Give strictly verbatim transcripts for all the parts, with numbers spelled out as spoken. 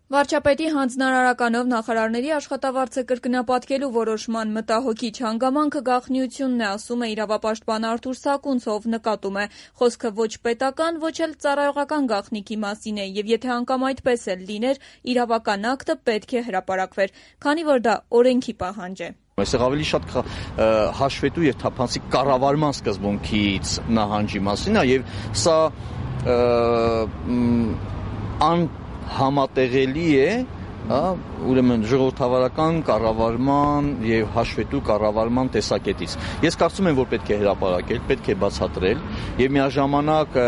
Վարչապետի հանձնարարականով նախարարների աշխատավարձը կրկնապատկելու որոշման մտահոգիչ հանգամանքը գաղտնիությունն է, ասում է իրավապաշտպան Արթուր Սակունցը, ով նկատում է. խոսքը ոչ պետական, ոչ էլ ծառայողական գաղտնիքի մասին է, եւ եթե անգամ այդպես էլ լիներ, իրավական ակտը պետք է հրապարակվեր, քանի որ դա օրենքի պահանջ է։ Այստեղ ավելի շատ հաշվետու եւ թափանցիկ կառավարման սկզբունքից նահանջի մասին է, եւ սա ան համատեղելի է, ուրեմն ժողովրդավարական կառավարման եւ հաշվետու կառավարման տեսակետից։ Ես կարծում եմ, որ պետք է հրապարակել, պետք է բացատրել եւ միաժամանակ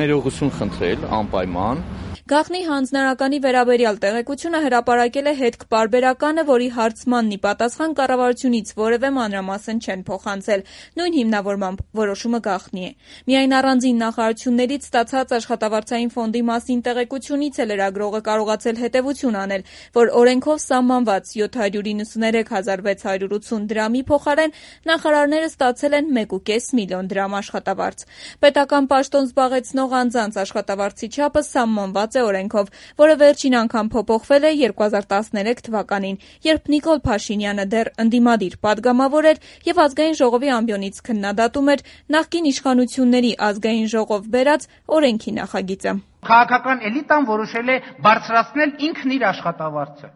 ներողություն խնդրել անպայման։ Գաղտնի հանձնարարականի վերաբերյալ տեղեկությունը հրապարակել է հետք-պարբերականը, որի հարցմանն ի պատասխան կառավարությունից որևէ մանրամասն չեն փոխանցել։ Նույն հիմնավորմամբ որոշումը գաղտնի է։ Միայն առանձին նախարարություններից ստացած աշխատավարձային ֆոնդի մասին տեղեկությունից է լրագրողը կարողացել հետևություն անել, որ օրենքով սահմանված յոթ հարյուր իննսուներեք հազար վեց հարյուր ութուն դրամի փոխարեն նախարարները ստացել են մեկ ու կես միլիոն դրամ աշխատավարձ։ Պետական պաշտոն զբաղեցնող անձանց աշխատավարձի չափը սահմանված է օրենքով, որը վերջին անգամ փոփոխվել է երկու հազար տասներեք թվականին, երբ Նիկոլ Փաշինյանը դեռ ընդդիմադիր падգամավոր էր եւ ազգային ժողովի ամբիոնից քննադատում էր նախկին իշխանությունների ազգային ժողով բերած օրենքի նախագիծը։ Քաղաքական էլիտան որոշել է բարձրացնել ինքն իր աշխատավարձը։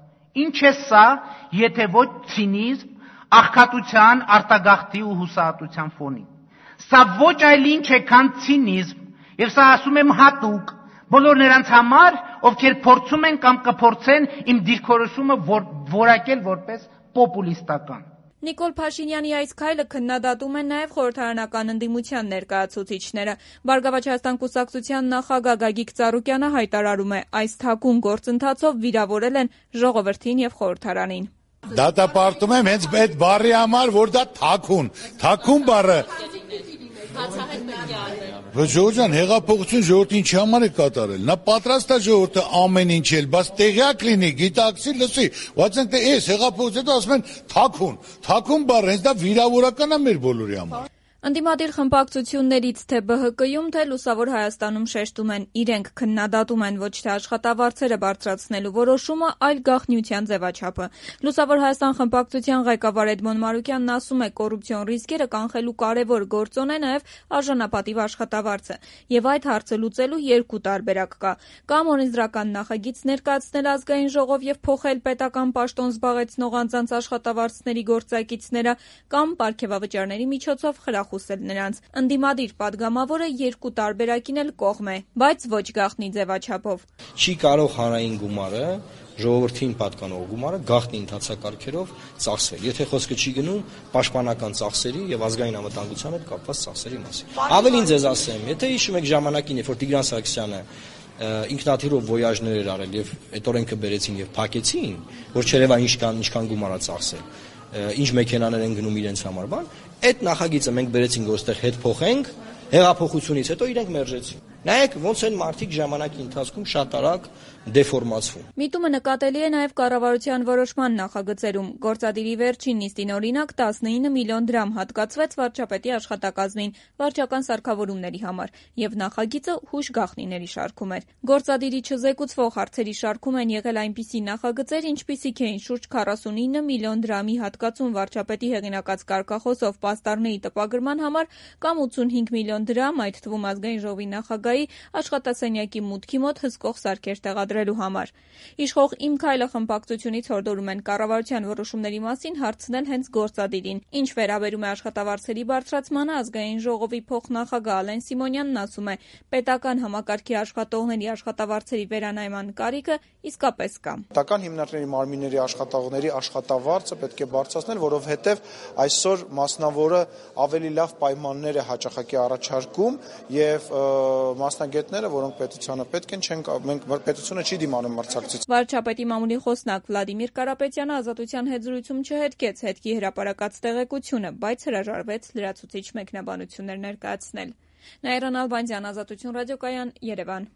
Ինչ է սա, եթե ոչ ցինիզմ, աղքատության, արտագաղթի ու հուսահատության ֆոնին։ Սա ոչ այլ ինչ է, քան ցինիզմ, եւ սա ասում եմ հատուկ բոլոր նրանց համար, ովքեր փորձում են կամ կփորձեն իմ դիրքորոշումը որակել որպես պոպուլիստական։ Նիկոլ Փաշինյանի այս քայլը քննադատում են նաև խորհրդարանական ընդդիմության ներկայացուցիչները։ Բարգավաճ Հայաստան կուսակցության նախագահ Գագիկ Ծառուկյանը հայտարարում է, այս թաքուն գործընթացով վիրավորել են ժողովրդին եւ խորհրդարանին։ Դատապարտում եմ հենց այդ բառի համար, որ դա թաքուն, թաքուն բառը Ժողովրդյան հեղափոխություն ժողովրդի ինչի համար է կատարել։ Նա պատրաստ է ժողովուրդը ամեն ինչ էլ, բայց տեղյակ լինի, գիտակցի, լսի, բայց ընդ էս հեղափոխությունից հետո ասում են թաքուն, թաքուն բառը հենց դա վիրավորական է մեր բոլորի համար։ Ընդդիմադիր խմբակցություններից թե Բ Հ Կ-ում, թե Լուսավոր Հայաստանում շեշտում են, իրենք քննադատում են ոչ թե աշխատավարձերը բարձրացնելու որոշումը, այլ գաղտնիության ձևաչափը։ Լուսավոր Հայաստան խմբակցության ղեկավար Էդմոն Մանուկյանն ասում է, կոռուպցիոն ռիսկերը կանխելու կարևոր գործոն է նաև արժանապատիվ աշխատավարձը, եւ այդ հարցը լուծելու երկու տարբերակ կա։ Կամ օրենսդրական նախագիծ ներկայացնել ազգային ժողով եւ փոխել պետական պաշտոն զբաղեցնող անձանց աշխատավարձների գործակիցները, կամ պարգևավճարների միջոցով խրախուսել նրանց։ Ընդդիմադիր падգամավորը երկու տարբերակին էլ կողմ է, բայց ոչ գաղտնի ձևաչափով։ Չի կարող հանրային գումարը, ժողովրդին պատկանող գումարը գաղտնի ընթացակարգերով ծախսել, եթե խոսքը չի գնում պաշտպանական ծախսերի եւ ազգային անվտանգության հետ կապված ծախսերի մասին։ Ավելին ձեզ ասեմ, եթե հիշում եք ժամանակին, երբ որ Տիգրան Սարգսյանը ինքնաթիռով վոյաժներ էր արել եւ այդ օրենքը բերեցին եւ փակեցին, որ չերևա ինչքան ինչքան գումար է ծախսել, ինչ մեքենաներ են գնում իրենց համար, բան, այդ նախագիծը մենք բերեցինք, որ այստեղ հետ փոխենք, հեղափոխությունից հետո իրենք մերժեցին։ Նայեք, ոնց են մարդիկ ժամանակի ընթացքում շատ արագ դեֆորմացվում։ Միտումը նկատելի է նաև կառավարության որոշման նախագծերում։ Գործադիրի վերջին նիստին օրինակ տասնինը միլիոն դրամ հատկացվեց վարչապետի աշխատակազմին վարչական սարքավորումների համար, եւ նախագիծը հուշ գաղտնիների շարքում էր։ Գործադիրի չզեկուցվող հարցերի շարքում են եղել այնպիսի նախագծեր, ինչպիսիք էին շուրջ քառասունինը միլիոն դրամի հատկացում վարչապետի հեղինակած կարգախոսով պաստառների տպագրման համար կամ ութսունհինգ միլիոն դրամ, այդ թվում ազգային ժողովի նախագահ աշխատասենյակի մուտքի մոտ հսկող սարքեր տեղադրելու համար։ Իշխող Իմ քայլը խմբակցությունից հորդորում են կառավարության որոշումների մասին հարցնել հենց գործադիրին։ Ինչ վերաբերում է աշխատավարձերի բարձրացմանը, ազգային ժողովի փոխնախագահ Ալեն Սիմոնյանն ասում է, պետական համակարգի աշխատողների աշխատավարձերի վերանայման կարիքը իսկապես կա։ Պետական հիմնադրամի մարմինների աշխատողների աշխատավարձը պետք է բարձրացնել, որովհետև այսօր մասնավորը ավելի լավ պայմաններ է հաճախակի առաջարկում եւ մասնագետները, որոնք պետությանը պետք են, չեն մենք պետությունը չի դիմանում մրցակցություն։ Վարչապետի մամուլի խոսնակ Վլադիմիր Կարապետյանը Ազատության հետ զրույցում չհետքեց հետքի հրապարակած տեղեկությունը, բայց հրաժարվեց լրացուցիչ մեկնաբանություններ ներկայացնել։ Նաիրա Նալբանդյան, Ազատություն ռադիոկայան, Երևան։